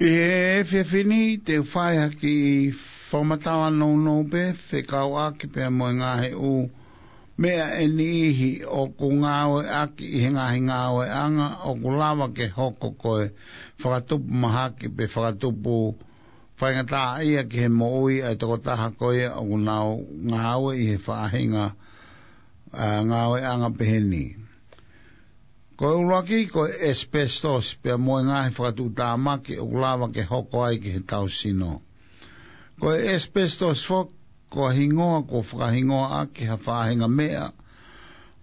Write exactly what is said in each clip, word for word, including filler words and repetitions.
ʻI he efiafi ni te u fai ha kiʻi fakamatala nounou pē fekauʻaki pea mo e ngaahi ʻū meʻa ʻe niʻihi ʻoku ngāueʻaki ʻi he ngaahi ngāueʻanga ʻoku lava ke hoko ko e fakatupu mahaki pe fakatupu faingataʻaʻia ki he moʻui ʻa e tokotaha ko ia ʻoku nau ngāue ʻi he faʻahinga, ā, ngāueʻanga pehē ni. Ko e ʻuluaki ko e asbestos pea mo e ngaahi fakatuʻutāmaki ʻoku lava ke hoko ai ki he tau sino. Ko e asbestos foki ko e hingoa kuo fakahingoaʻaki ha faʻahinga meʻa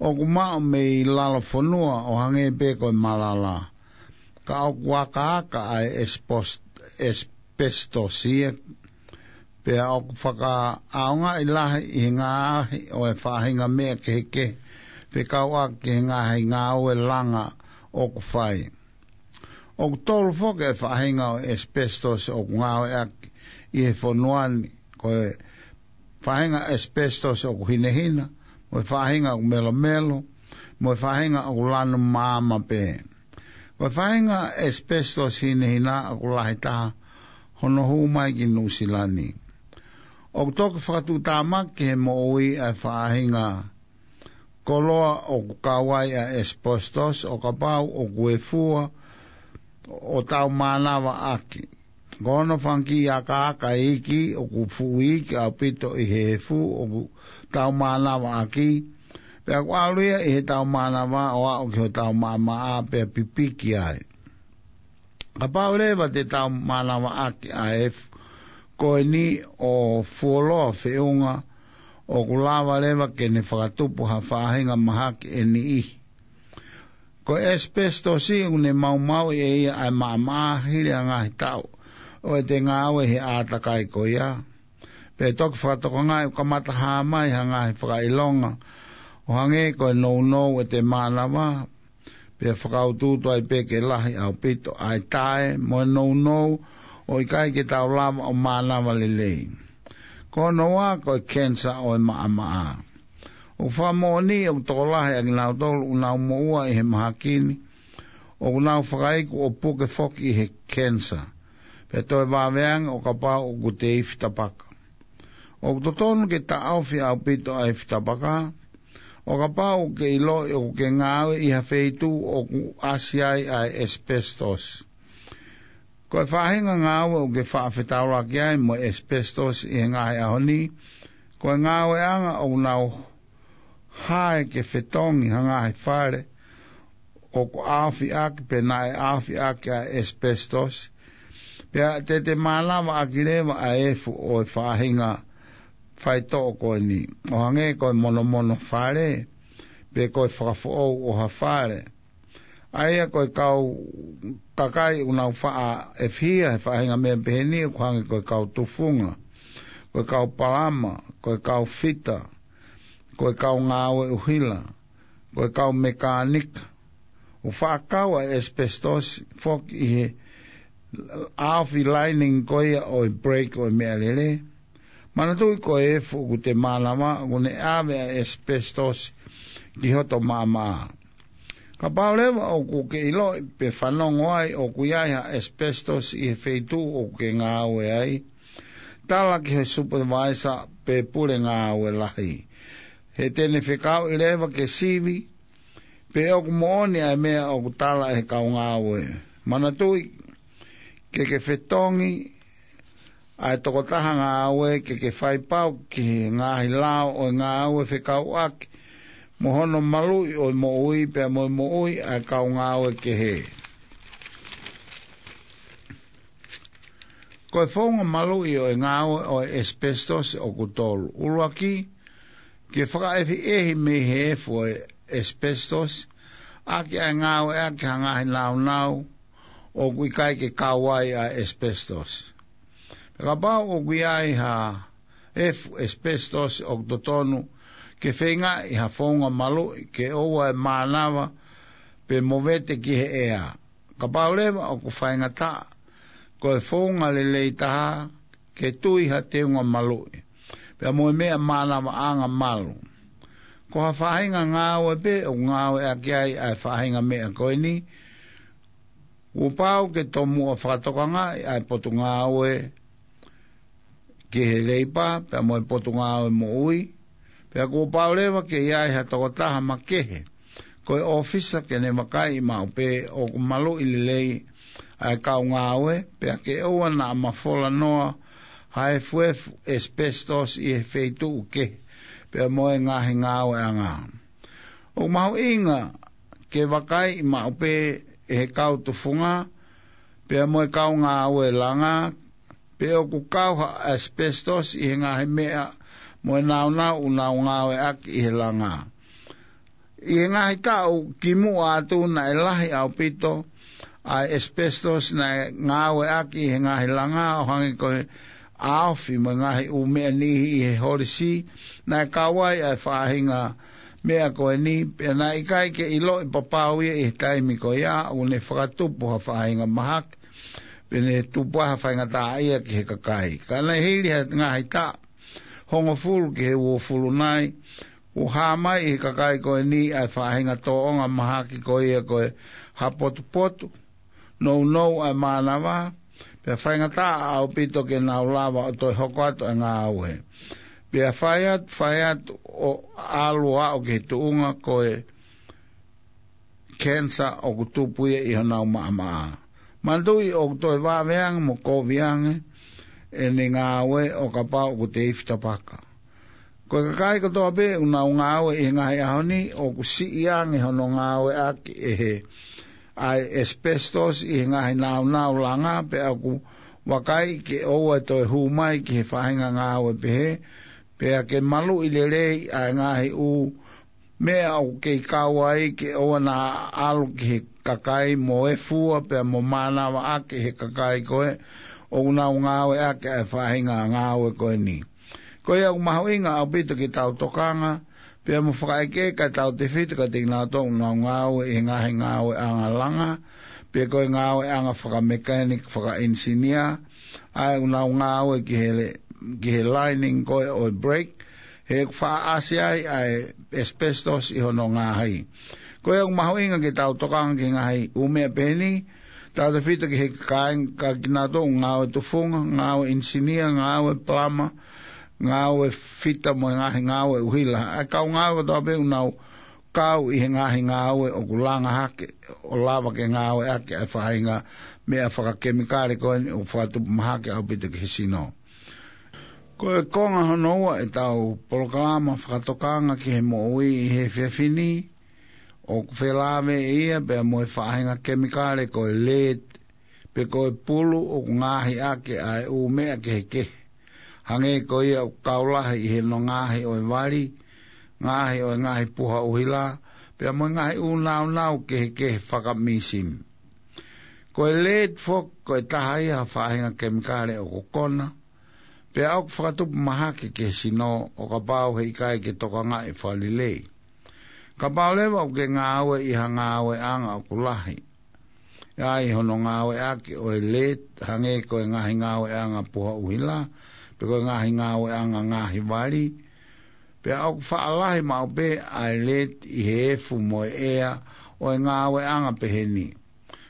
ʻoku maʻu mei lalo fonua ʻo hangē pē ko e malala. Ka ʻoku akaaka ʻa e asbos-, asbestos ia, pea ʻoku fakaʻaongaʻi lahi ʻi he ngaahi ʻo e faʻahinga meʻa kehekehe fekauʻaki ki he ngaahi ngāue langa ʻoku fai. ʻOku tolu foki e faʻahinga ʻo e asbestos ʻoku ngāueʻaki ʻi he fonua ni, ko e faʻahinga asbestos ʻoku hinehina, mo e faʻahinga ʻoku melomelo, mo e faʻahinga ʻoku lanu maama pē. Ko e faʻahinga asbestos hinehina ʻoku lahi taha hono hū mai ki Nuʻusila ni. ʻOku toki fakatuʻutāmaki he moʻui ʻa e faʻahinga koloa ʻoku kau ai ʻa e asbestos ʻo kapau ʻoku ʻi he fua ʻo tau mānavaʻaki. Ko hono fanga kiʻi akaaka iiki ʻoku fuʻu iiki ʻaupito ʻi he efu ʻoku tau mānavaʻaki. Pea ʻoku ʻalu ia ʻi he tau mānava ʻo aʻu ki hotau maʻamaʻa pea pipiki ai. Kapau leva te tau mānavaʻaki ʻa e efu ko eni ʻo fuoloa feʻunga, ʻoku lava leva ke ne fakatupu ha faʻahinga mahaki ʻe niʻihi. Ko e asbestos ʻoku ne maumauʻi ʻe ia ʻa e maʻamaʻa hili ʻa e ngaahi taʻu ʻo ʻete ngāue he ʻātakai ko ia. Pea toki fakatokangaʻi ʻoku kamata hā mai ha ngaahi fakaʻilonga ʻo hangē ko e nounou ʻete mānava, pea fakautuutu ai pē ke lahi ʻaupito ʻa e tae mo e nounou ʻo ʻikai ke tau lava ʻo mānava lelei. Ko hono ua ko e kenisa ʻo e maʻamaʻa. ʻOku fakamoʻoni ʻoku tokolahi ʻa kinautolu ʻoku nau moʻua ʻi he mahaki ni ʻoku nau fakaiku ʻo puke foki ʻi he kenisa, pea toe vave ange ʻo kapau ʻoku te ifi tapaka. ʻOku totonu ke taʻofi ʻaupito ʻa e ifi tapaka ʻo kapau ʻoku ke ʻiloʻi ʻoku ke ngāue ʻi ha feituʻu ʻoku ʻasi ai ʻa e asbestos. Ko e faʻahinga ngāue ʻoku ke faʻa fetaulaki ai mo e asbestos ʻi he ngaahi ʻaho ni, ko e ngāueʻanga ʻoku nau hae ke fetongi ha ngaahi fale ʻoku ʻaofiʻaki pe naʻe ʻaofiʻaki ʻa e asbestos, pea te te mānavaʻaki leva ʻa e efu ʻo e faʻahinga faitoʻo ko eni, ʻo hangē ko e monomono fale, pe ko e fakafoʻou ʻo ha fale. ʻA ia ko e kau kakai ʻoku nau faʻa efihia he faʻahinga meʻa pehē ni ʻoku hangē ko e kau tufunga, ko e kau palama, ko e kau fita, ko e kau ngāue ʻuhila, ko e kau mekānika. ʻOku faʻa kau ʻa e asbestos foki ʻi he ʻaofi lining ko ia ʻo e brake ʻo e meʻalele. Manatuʻi ko e efu ʻoku te mānava ʻoku ne ʻave ʻa e asbestos ki hoto maʻamaʻa. Kapau leva ʻoku ke ʻiloʻi pe fanongo ai ʻoku ʻi ai ha asbestos ʻi he feituʻu ʻoku ke ngāue ai, tala ki he supervisor pe pule ngāue lahi. He te ne fekauʻi leva ke sivi pe ʻoku moʻoni ʻa e meʻa ʻoku tala ʻe he kau ngāue. Manatuʻi, ke ke fetongi ʻa e tokotaha ngāue, ke ke fai pau ki he ngaahi lao ʻo e ngāue fekauʻaki mo hono maluʻi ʻo e moʻui pea mo e moʻui ʻa e kau ngāue kehe. Ko e founga maluʻi ʻo e ngāue ʻo e asbestos ʻoku tolu. ʻUluaki, ke fakaʻehiʻehi mei he efu ʻo e asbestos ʻaki ʻa e ngāueʻaki ha ngaahi naunau ʻoku ʻikai ke kau ai ʻa e asbestos. Pea kapau ʻoku ʻi ai ha efu asbestos ʻoku totonu ke feingaʻi ha founga maluʻi ke ʻoua ʻe mānava pe movete ki he ʻea. Kapau leva ʻoku faingataʻa, ko e founga lelei taha ke tui ha teunga maluʻi pea mo e meʻa mānavaʻanga malu. Ko ha faʻahinga ngāue pē ʻoku ngāueʻaki ai ʻa e faʻahinga meʻa ko eni, Kuo pau ke tomuʻa fakatokangaʻi ʻa e potungāue ki he Leipa pea mo e Potungāue Moʻui, pea kuo pau leva ke ʻi ai ha tokotaha makehe ko e ʻōfisa ke ne vakaiʻi maʻu pē ʻoku maluʻi lelei ʻa e kau ngāue, pea ke ʻoua naʻa mafola noa ha efuefu asbestos ʻi he feituʻu kehe pea mo e ngaahi ngāueʻanga. ʻOku mahuʻinga ke vakaiʻi maʻu pē ʻe he kau tufunga pea mo e kau ngāue langa pe ʻoku kau ha asbestos ʻi he ngaahi meʻa mo e nāunau ʻoku nau ngāueʻaki ʻi he langa. ʻI he ngaahi taʻu kimuʻa atu naʻe lahi ʻaupito ʻa e asbestos naʻe ngāueʻaki ʻi he ngaahi langa, ʻo hangē ko e ʻaofi mo e ngaahi ʻū meʻa niʻihi ʻi he holisi, naʻe kau ai ʻa e faʻahinga meʻa ko eni, pea naʻe ʻikai ke ʻiloʻi papau ia ʻi he taimi ko ia ʻoku ne fakatupu ha faʻahinga mahaki, pe ne tupu ai ha faingataʻaʻia ki he kakai. Ka naʻe hili ha ngaahi taʻu hongofulu ki he uofulu nai, kuo hā mai ʻi he kakai ko eni ʻa e faʻahinga tōʻonga mahaki ko ia ko e hapotupotu, nounou ʻa e mānava, pea faingataʻa ʻaupito ke nau lava ʻo toe hoko atu ʻa e ngāue. Pea fai atu, fai atu ʻo ʻalu ʻo aʻu ki he tuʻunga ko e cancer ʻoku tupu ia ʻi honau maʻamaʻa. Manatuʻi ʻoku toe vave ange mo kovi ange ʻene ngāue ʻo kapau ʻoku te ifi tapaka. Ko e kakai kotoa pē ʻoku nau ngāue ʻi he ngaahi ʻaho ni, ʻoku siʻi ange hono ngāueʻaki ʻe he ʻa e asbestos ʻi he ngaahi nāunau langa, pea ʻoku vakai ke ʻoua ʻe toe hū mai ki he faʻahinga ngāue pehē, pea ke maluʻi lelei ʻa e ngaahi ʻū meʻa ʻoku kei kau ai ke ʻoua naʻa ʻalu ki he kakai mo e fua pea mo mānava ʻaki he kakai ko ē ʻoku nau ngāueʻaki ʻa e faʻahinga ngāue ko eni. Ko ia ʻoku mahuʻinga ʻaupito ke tau tokanga, pea mo fakaʻekeʻeke ʻa e tautefito kiate kinautolu ʻoku nau ngāue ʻi he ngaahi ngāueʻanga langa, pe ko e ngāueʻanga fakamekanic, fakaʻinisinia, ʻa ē ʻoku nau ngāue ki he le-, ki he lining ko ē ʻo e brake, he ʻoku faʻa ʻasi ai ʻa e asbestos ʻi hono ngaahi. Ko ia ʻoku mahuʻinga ke tau tokanga ki he ngaahi ʻū meʻa pehē ni, tautefito ki he kāinga kinautolu ngāue tufunga, ngāue ʻinisinia, ngāue palama, ngāue fita mo e ngaahi ngāue ʻuhila. ʻA e kau ngāue kotoa pē ʻoku nau kau ʻi he ngaahi ngāue ʻoku langa hake, ʻo lava ke ngāueʻaki ʻa e faʻahinga meʻa fakakemikale ko eni ʻoku fakatupu mahaki ʻaupito ki he sino. Ko e konga hono ua ʻetau polokalama fakatokanga ki he moʻui ʻi he efiafi ni, ʻoku felāveʻi ia pea mo e faʻahinga kemikale ko e lead, pe ko e pulu ʻoku ngaohi ʻaki ʻa e ʻū meʻa kehekehe. Hangē ko ia ʻoku kau lahi ʻi he ngaahi ʻo e vali, ngaohi ʻo e ngaahi puha ʻuhila, pea mo e ngaahi ʻū nāunau kehekehe fakamīsini. Ko e lead foki, ko e taha ia ha faʻahinga kemikale ʻoku kona, pea ʻoku fakatupu mahaki ki he sino ʻo kapau he ʻikai ke tokangaʻi fakalelei. Kapau leva ʻoku ke ngāue ʻi ha ngāueʻanga ʻoku lahi ai hono ngāueʻaki ʻo e lead, hangē ko e ngaahi ngāueʻanga puha ʻuhila, pe ko e ngaahi ngāueʻanga ngaahi vali, pea ʻoku faʻa lahi maʻu pē ʻa e lead ʻi he efu mo e ʻea ʻo e ngāueʻanga pehē ni.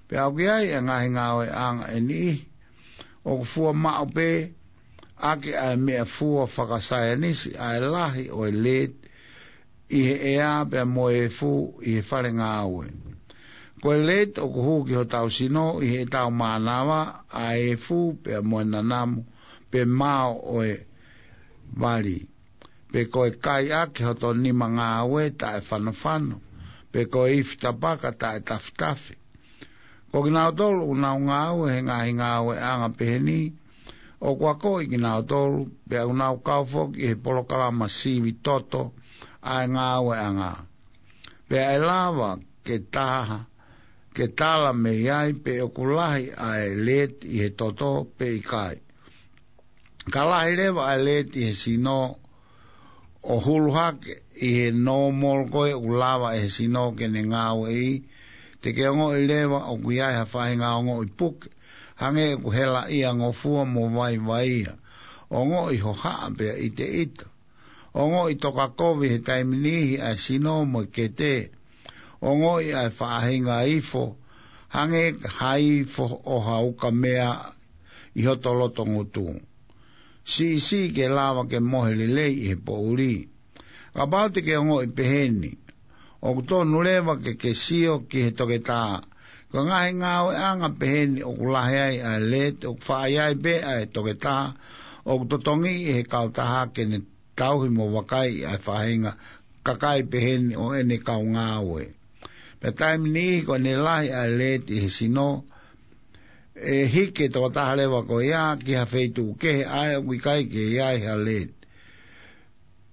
Pea ʻoku ʻi ai ʻa e ngaahi ngāueʻanga ʻe niʻihi ʻoku fua maʻu pē ʻaki ʻa e meʻafua fakasaienisi ʻa e lahi ʻo e lead ʻi he ʻea pea mo e efu ʻi he fale ngāue. Ko e lead ʻoku hū ki hotau sino ʻi heʻetau mānava, ʻa e efu pea mo e nanamu pe mao ʻo e vali, pe ko e kai ʻaki hoto nima ngāue taʻefanofano, pe ko e ifi tapaka taʻetafitafi. Ko kinautolu ʻoku nau ngāue he ngaahi ngāueʻanga pehē ni, ʻoku akoʻi kinautolu, pea ʻoku nau kau foki ʻi he polokalama sivi toto ʻa e ngāueʻanga. Pea ʻe lava ke taha, ke tala mei ai pe ʻoku lahi ʻa e lead ʻi he toto pe ʻikai. Ka lahi leva ʻa e lead ʻi he sino ʻo hulu hake ʻi he normal ko ē ʻoku lava ʻe he sino ke ne ngāueʻi, te ke ongoʻi leva ʻoku ʻi ai ha faʻahinga ongoʻi puke, hangē ʻoku helaʻia ngofua mo vaivai ia, ongoʻi hohaʻa pea ʻiteʻita, ongoʻi tokakovi he taimi niʻihi ʻa e sino mo e kete, ongoʻi ʻa e faʻahinga ifo Hangē ha ifo ʻo ha ukamea ʻi hoto loto ngutu. Siʻisiʻi ke lava ke mohe lelei ʻi he poʻuli. Kapau te ke ongoʻi peheni, ʻoku tonu leva ke ke sio ki he toketā. Ko e ngaahi ngāueʻanga peheni ʻoku lahi ai ʻa e lead, ʻoku faʻa ʻi ai pē ʻa e toketā ʻoku totongi ʻe he kautaha ke ne tauhi mo vakai ʻa e faʻahinga kakai peheni ʻo ʻene kau ngāue. Pea taimi niʻihi ko ʻene lahi ʻa e lead ʻi he sino, ʻe hiki e tokotaha leva ko ia ki ha feituʻu kehe ʻa ē ʻoku ʻikai ke ʻi ai ha lead.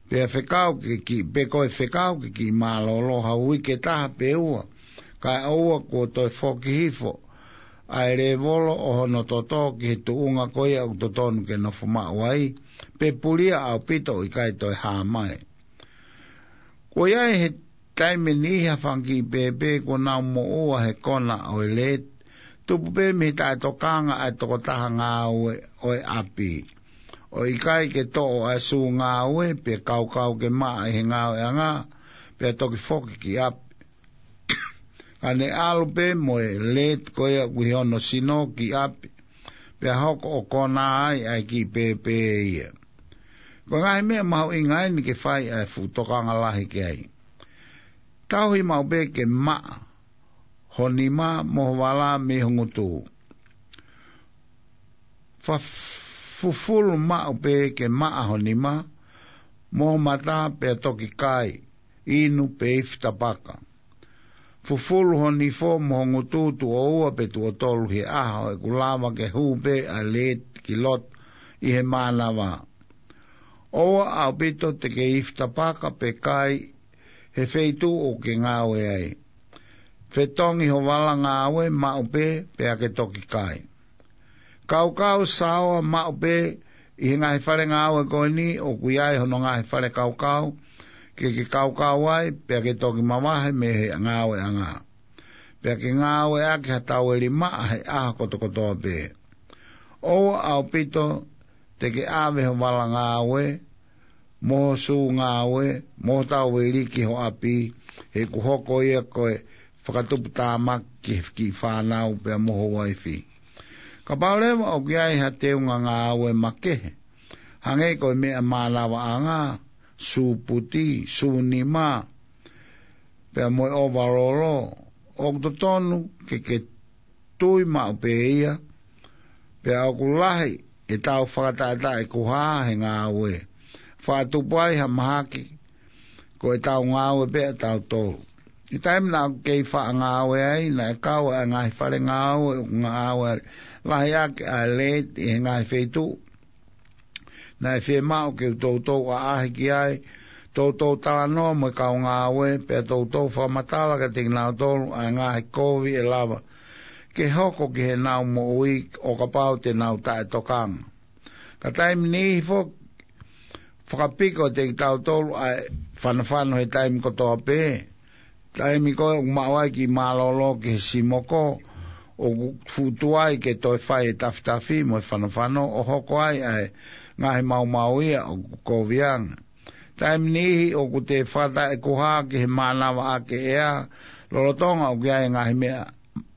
Pea fekau ke ki, pe ko e fekau ke kiʻi mālōlō ha uike ʻe taha pe ua, kae ʻoua kuo toe foki hifo ʻa e lēvolo ʻo hono toto ki he tuʻunga ko ia ʻoku totonu ke nofo maʻu ai, pe pulia ʻaupito ʻo ʻikai toe hā mai. Ko ia ʻi he taimi niʻihi ha fanga kiʻi pēpē kuo nau moʻua he kona ʻo e lead, tupu pē mei he taʻetokanga ʻa e tokotaha ngāue ʻo e ʻapi. ʻO ʻikai ke toʻo ʻa e sū ngāue, pea kaukau ke maʻa ʻi he ngāueʻanga, pea toki foki ki ʻapi. Ka ne ʻalu pē mo e lead ko ia ʻoku ʻi hono sino ki ʻapi, pea hoko ʻo kona ai ʻa e kiʻi pēpē ia. Ko e ngaahi meʻa mahuʻinga eni ke fai ʻa e fuʻu tokanga lahi ki ai. Tauhi maʻu pē ke maʻa ho nima mo ho vala mei ho ngutu. Fa-, fufulu maʻu pē ke maʻa ho nima mo ho mata pea toki kai, inu pe ifi tapaka. Fufulu ho nifo mo ho ngutu tuʻo ua pe tuʻo tolu he ʻaho ʻoku lava ke hū pē ʻa e lead ki loto ʻi he mānava. ʻOua ʻaupito te ke ifi tapaka pe kai he feituʻu ʻoku ke ngāue ai. Fetongi ho vala ngāue maʻu pē pea ke toki kai. Kaukau saoa maʻu pē ʻi he ngaahi fale ngāue ko eni ʻoku ʻi ai hono ngaahi fale kaukau, ke ke kaukau ai pea ke toki mavahe mei he ngāueʻanga. Pea ke ngāueʻaki ha taueli maʻa he ʻaho kotokotoa pē. ʻOua ʻaupito te ke ʻave ho vala ngāue mo ho sū ngāue mo ho taueli ki ho ʻapi, he ʻoku hoko ia ko e fakatuputāmaki ki he kiʻi fānau pea mo ho uaifi. Kapau leva ʻoku ʻi ai ha teunga ngāue makehe, hangē ko e meʻa mānavaʻanga, sū puti, sū nima, pea mo e ʻovalolo, ʻoku totonu ke ke tui maʻu pē ia, pea ʻoku lahi ʻetau fakataʻetaʻekuhā he ngāue. Faʻa tupu ai ha mahaki, ko ʻetau ngāue pē ʻatautolu. ʻI he taimi naʻa ku kei faʻa ngāue ai, naʻe kau ʻa e ngaahi fale ngāue ʻoku ngāue lahi ʻaki ʻa e lead ʻi he ngaahi feituʻu naʻe fiemaʻu ke u toutou ʻaʻahi ki ai, toutou talanoa mo e kau ngāue, pea toutou fakamatala kiate kinautolu ʻa e ngaahi kovi ʻe lava ke hoko ki heʻenau moʻui ʻo kapau te nau taʻetokanga. Ka taimi niʻihi foki, fakapiko ʻiate kitautolu ʻa e fanofano he taimi kotoa pē. Taimi ko ē ʻoku maʻu ai kiʻi mālōlō ki he simoko, ʻoku fuʻu tuai ke toe fai e tafitafi mo e fanofano ʻo hoko ai ʻa e ngaahi maumau ia ʻoku kovi ange. Taimi niʻihi ʻoku te fakataʻekuhā ki he mānavaʻaki ʻea, lolotonga ʻoku ʻi ai e ngaahi meʻa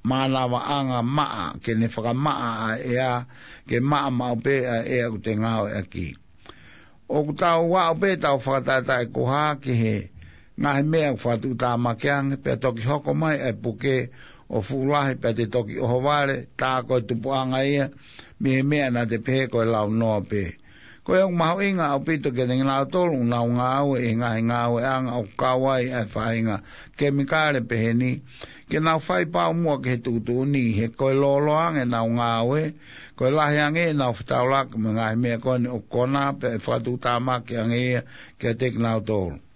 mānavaʻanga maʻa ke ne fakamaʻa ʻa e ʻea, ke maʻa maʻu pē ʻa e ʻea ʻoku te ngāueʻaki. ʻOku tau aʻu pē ʻetau fakataʻetaʻekuhā ki he ngaahi meʻa ʻoku fakatuʻutāmaki ange, pea toki hoko mai ʻa e puke ʻo fuʻu lahi pea te toki ʻohovale, tā ko e tupuʻanga ia mei he meʻa naʻa te pehē ko e launoa pē. Ko ia ʻoku mahuʻinga ʻaupito kiate kinautolu ʻoku nau ngāue ʻi he ngaahi ngāueʻanga ʻoku kau ai ʻa e faʻahinga kemikale peheni, ke nau fai pau muʻa ki he tuʻutuʻuni, he ko e lōloa ange ʻenau ngāue, ko e lahi ange ʻenau fetaulaki mo e ngaahi meʻa ko eni ʻoku kona pea ʻe fakatuʻutāmaki ange ia kiate kinautolu.